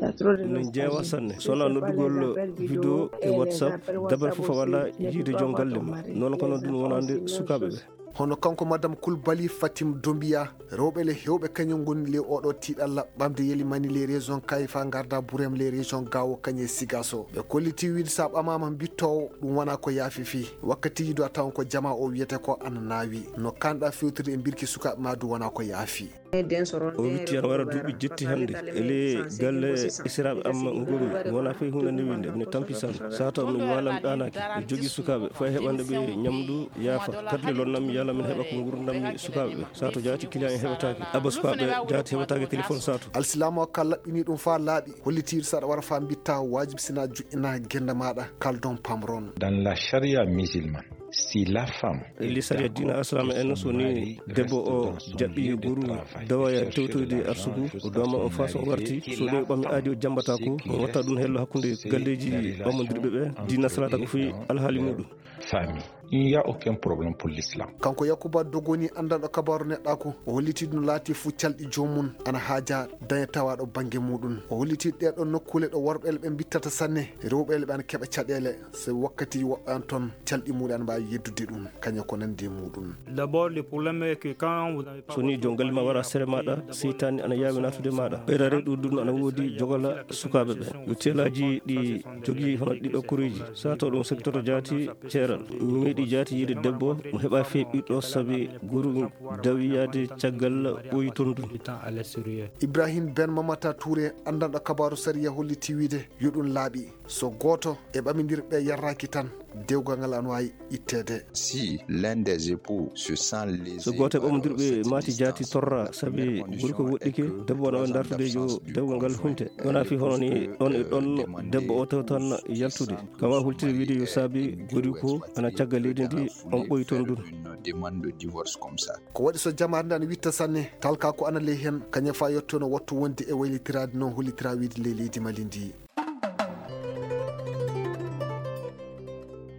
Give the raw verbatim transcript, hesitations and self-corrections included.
No jeewa sanne. So wonaa noddugol video e WhatsApp, dabare fof a waɗa yiide joom galle ma. Noon ko noon ɗum wonande sukaaɓe ɓe. Hono kanko Madame Koulibaly Fatim Doumbia, rewɓe le heewɓe kañum ngoni le oɗo tiiɗalla ɓamde Yelimani les régions Kayfa ngarda Bourem les régions Gao kañe Sigaso. Ɓe kolliti wiide sa ɓamaama mbittoowo ɗum wona ko yaafi fii. Wakkatiiji du a tawan ko jama o wiyete ko ana naawi. No kanɗa fewtude e mbirki sukaaɓe ma du wona ko yaafi. O witti ana wara duuɓi jetti hannde e ley galle esiraaɓe am ngonmi. Mi wona fey huunde nde winde, mine tampi sanne. Sato mi waala mi ɗaanaaki, mi jogii sukaaɓe, fay heɓande ɓe ñamdu yaafa. Kadi le lonnam mi yaala min heɓa ko ngurndanmi sukaaɓe ɓe. Sato jaati client en heɓataake, abba sukaaɓe jaati heɓataake téléphone sato. Alsilaama o ka laɓɓini ɗum faa laaɓi, hollitiiɗo saɗa wara faa mbitta waajib sina juɗɗina gennde maaɗa, kaldon pamron. Dans la charia musulmane, si la femme Elli sariya diina Islam en, so ni debbo o jaɓɓi goru dawa ya tewtoyde arsugu, o dooma on faa so warti, so ɗe ɓami aadi o jambata ko, on watta ɗum hello hakkunde galleeji ɓammondirɓe ɓe, diina salata ko fii alhaali muɗum. Famille, il n'y a aucun problème pour l'islam. Kanko Yakuba Dogoni, anndanɗo kabaaru neɗɗaaku, o holliti ɗum laati fuu calɗi joomum ana haaja daña tawaaɗo bannge muɗum. O holliti ɗee ɗoon nokkuule ɗo worɓe ɓe mbittata sanne, rewɓe ɓe ana keɓa caɗeele, so wakkati woɓɓe an toon calɗi muɗum ana mbaawi yeddude ɗum, kañum ko nandi e muɗum. D'abord, le problème est que quand vous avez pas So ni joom galle ma wara sere maɗa, seytaani ana yaawi naatude maɗa. Ɓeydare ɗuɗɗun ana woodi jogala sukaaɓe ɓe. Yo teelaaji ɗi jogii hono ɗiɗo koreeji. Sato ɗum sektoto jaati ceeral. Mi meeɗi jaati yiide debbo, mo heɓa fee ɓiɗɗo sabi goru dawi yaade caggal ɓoyi ton ɗum. Ibrahim Ben Mamata Touré, anndanɗo kabaaru sariya, holliti wiide yo ɗum laaɓi. So gooto e ɓamindirɓe yarraaki tan, dewgal ngal ana waawi itteede. Si l'un des époux se sent lésé So gooto e ɓamindirɓe maati jaati torra sabi gorko woɗɗike, debbo ana waawi dartude yo dewgal ngal hunte. Wona fii hono ni ɗon e ɗon debbo o tawtan yaltude. Kam a hultiri wiide yo saabi gorko ana cagga leydi ndi, on ɓoyi ton ɗum. Une demande de divorce comme ça. Ko waɗi so jamaare nde ana witta sanne, talka ko ana ley heen, kañum faa yetto no wattu wonde e waylitiraade no hollitira wiide ley leydi Mali ndi.